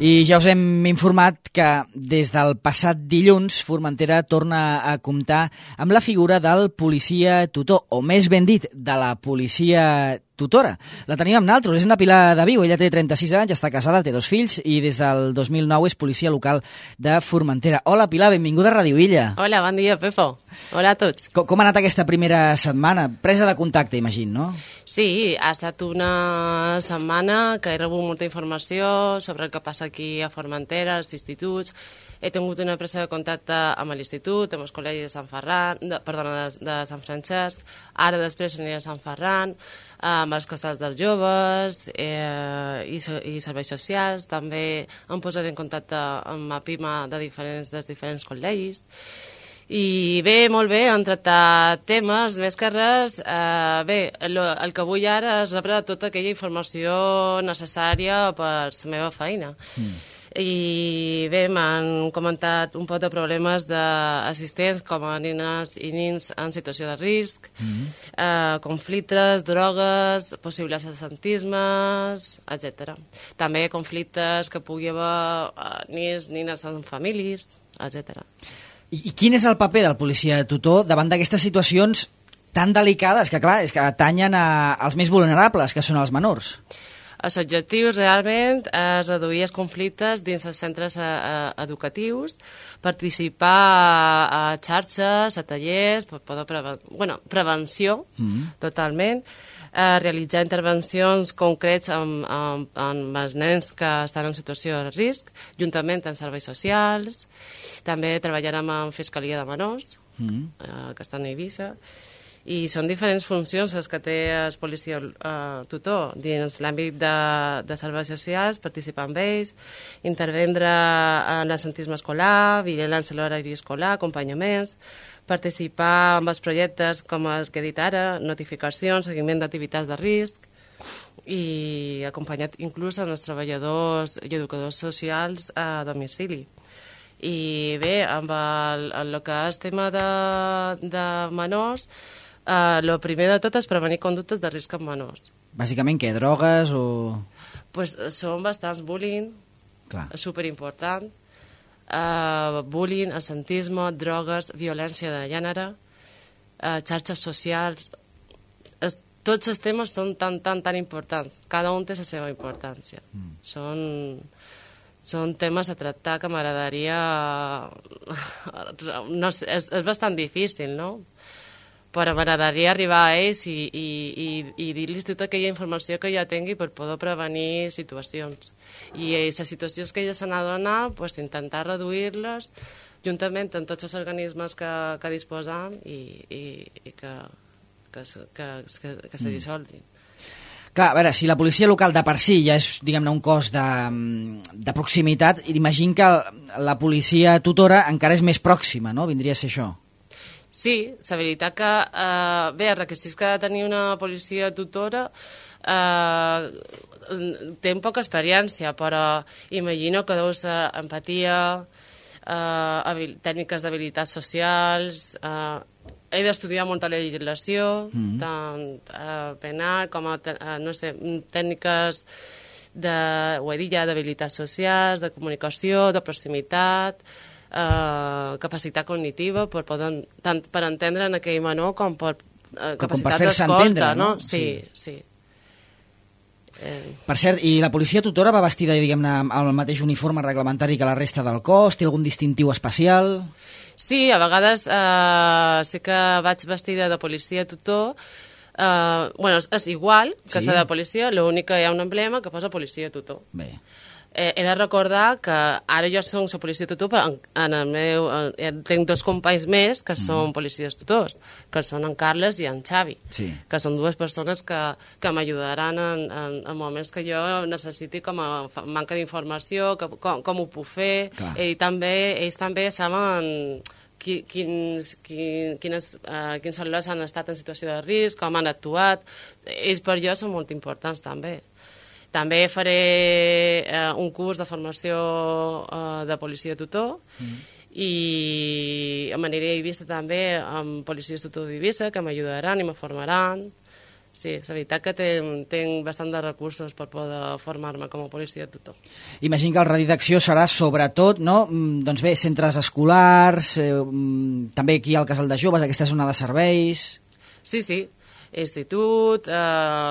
I ja us hem informat que des del passat dilluns Formentera torna a comptar amb la figura del policia tutor, o més ben dit, de la policia tutora. La tenim amb naltros, és una Pilar de Viu, ella té 36 anys, està casada, té 2 fills i des del 2009 és policia local de Formentera. Hola Pilar, benvinguda a Ràdio Illa. Hola, bon dia Pepo. Hola a tots. Com ha anat aquesta primera setmana? Presa de contacte, imagino, no? Sí, ha estat una setmana que he rebut molta informació sobre el que passa aquí a Formentera, als instituts. He tingut una presa de contacte amb l'Institut, amb els col·legis de Sant Ferran, de Sant Francesc, ara després aniré a Sant Ferran, amb els casals dels joves i serveis socials. També em posaré en contacte amb la PIMA dels diferents col·legis. I bé, molt bé, han tractat temes, més que res. Bé, el que vull ara és rebre tota aquella informació necessària per la meva feina. I bé, m'han comentat un poc de problemes d'assistents com a nenes i nins en situació de risc, conflictes, drogues, possibles assentismes, etc. També conflictes que pugui haver nens, nines en famílies, etc. I quin és el paper del policia tutor davant d'aquestes situacions tan delicades que, clar, és que atanyen als més vulnerables, que són els menors? Els objectius realment és reduir els conflictes dins els centres educatius, participar a xarxes, a tallers, prevenció, totalment, realitzar intervencions concrets amb els nens que estan en situació de risc, juntament amb serveis socials. També treballarem amb Fiscalia de Menors, que estan a Eivissa. I són diferents funcions les que té el policia tutor dins l'àmbit de serveis socials, participar amb ells, intervendre en l'assentisme escolar, vigilància a l'horari escolar, acompanyaments, participar en els projectes com el que he dit ara, notificacions, seguiment d'activitats de risc, i acompanyat inclús els treballadors i educadors socials a domicili. I bé, amb el que és tema de menors, el primer de tot és prevenir conductes de risc en menors. Bàsicament, què? Drogues o...? Pues són bastants bullying, superimportant. Bullying, assentisme, drogues, violència de gènere, xarxes socials. Tots els temes són tan importants. Cada un té la seva importància. Són temes a tractar que m'agradaria... No sé, és bastant difícil, no? Però m'agradaria arribar a ells i dir-los tota aquella informació que ja tingui per poder prevenir situacions. I les situacions que ja se n'adonen, pues, intentar reduir-les juntament amb tots els organismes que disposam i que se dissolguin. Clar, a veure, si la policia local de per si ja és, diguem-ne, un cos de proximitat, imagino que la policia tutora encara és més pròxima, no? Vindria a ser això. Sí, la veritat que, bé, els requisits que ha de tenir una policia tutora té poca experiència, però imagino que deu ser empatia, tècniques d'habilitats socials, he d'estudiar molta legislació, tant penal com a, no sé, tècniques ho he dit ja, d'habilitats socials, de comunicació, de proximitat, capacitat cognitiva tant per entendre en aquell menor com per capacitat d'escolta, no? Sí. Per cert, i la policia tutora va vestida, diguem-ne, amb el mateix uniforme reglamentari que la resta del cos? Té algun distintiu especial? Sí, a vegades sí que vaig vestida de policia tutor. És igual que la de policia, l'únic que hi ha un emblema que posa policia tutor. Bé. He de recordar que ara jo soc la policia tutor, però tinc 2 companys més que són policies tutors, que són en Carles i en Xavi, que són 2 persones que m'ajudaran en moments que jo necessiti com a manca d'informació, com ho puc fer. Ells també saben quins cel·lulars han estat en situació de risc, com han actuat. Ells per jo són molt importants també. També faré un curs de formació de policia tutor i aniré a Eivissa també amb policies tutor d'Eivissa que m'ajudaran i me formaran. Sí, és veritat que tinc bastant de recursos per poder formar-me com a policia tutor. Imagino que el radi d'acció serà sobretot, no? Doncs bé, centres escolars, també aquí al Casal de Joves, aquesta zona de serveis... Sí, institut,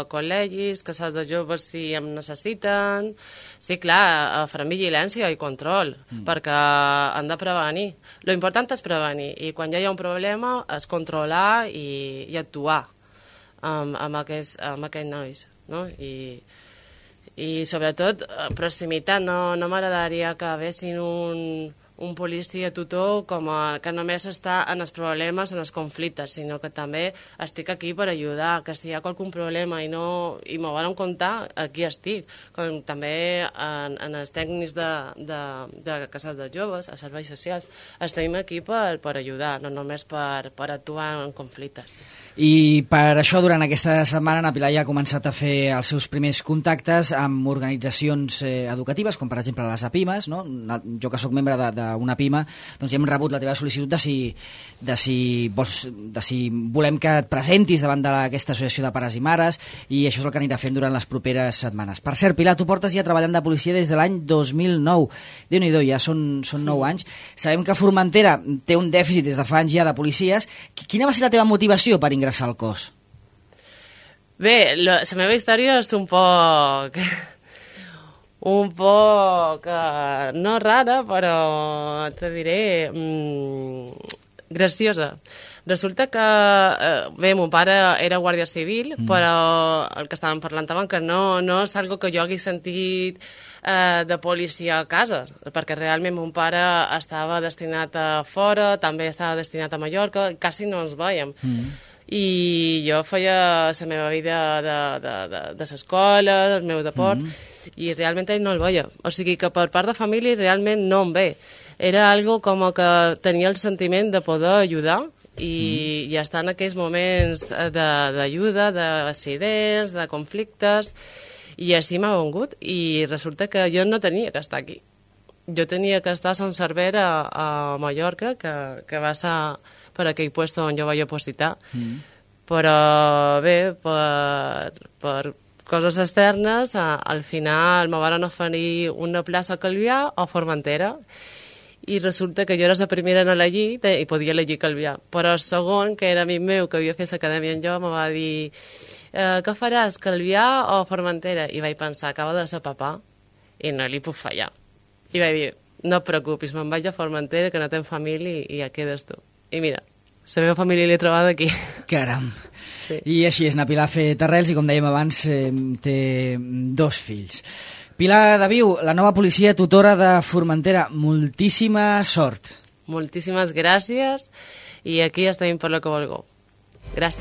col·legis, casals de joves si em necessiten... Sí, clar, farem vigilància i control, perquè han de prevenir. Lo important és prevenir, i quan ja hi ha un problema és controlar i actuar amb aquests nois, no? I sobretot proximitat, no m'agradaria que haguessin un policia tutor que només està en els problemes, en els conflictes, sinó que també estic aquí per ajudar, que si hi ha qualsevol problema i m'ho volen contar, aquí estic. Com també en els tècnics de casals de joves, a serveis socials, estem aquí per ajudar, no només per actuar en conflictes. I per això, durant aquesta setmana, na Pilar ja ha començat a fer els seus primers contactes amb organitzacions educatives, com per exemple les APIMES, no? Jo que sóc membre d'una PIMA, doncs ja hem rebut la teva sol·licitud de si volem que et presentis davant d'aquesta associació de pares i mares, i això és el que anirà fent durant les properes setmanes. Per cert, Pilar, tu portes ja treballant de policia des de l'any 2009. Déu-n'hi-do, ja són 9 anys. Sabem que Formentera té un dèficit des de fa anys ja de policies. Quina va ser la teva motivació per ingressar al cos? Bé, la meva història és un poc no rara, però te diré graciosa. Resulta que, bé, mon pare era guàrdia civil, però el que estàvem parlant abans, que no és algo que jo hagi sentit de policia a casa, perquè realment mon pare estava destinat a fora, també estava destinat a Mallorca, quasi no ens veiem. I jo feia la meva vida de l'escola, el meu deport, i realment ell no el veia. O sigui que per part de família realment no em ve. Era algo com que tenia el sentiment de poder ajudar i estar en aquells moments d'ajuda, d'accidents, de conflictes, i així m'ha vengut. I resulta que jo no tenia que estar aquí. Jo tenia que estar a Sant Cervera, a Mallorca, que va ser per aquell lloc on jo vaig opositar. Però bé, per coses externes, al final me van oferir una plaça a Calvià o a Formentera, i resulta que jo era la primera en elegir i podia elegir Calvià. Però el segon, que era amic meu, que havia fet l'acadèmia en jo, me va dir: què faràs, Calvià o Formentera? I vaig pensar, acaba de ser papà i no li puc fallar. I vaig dir, no et preocupis, me'n vaig a Formentera, que no tens família, i ja quedes tu. I mira, la meva família l'he trobat aquí. Caram. Sí. I així és, na Pilar ha fet arrels i, com dèiem abans, té 2 fills. Pilar de Viu, la nova policia tutora de Formentera, moltíssima sort. Moltíssimes gràcies, i aquí estem per lo que vulgueu. Gràcies.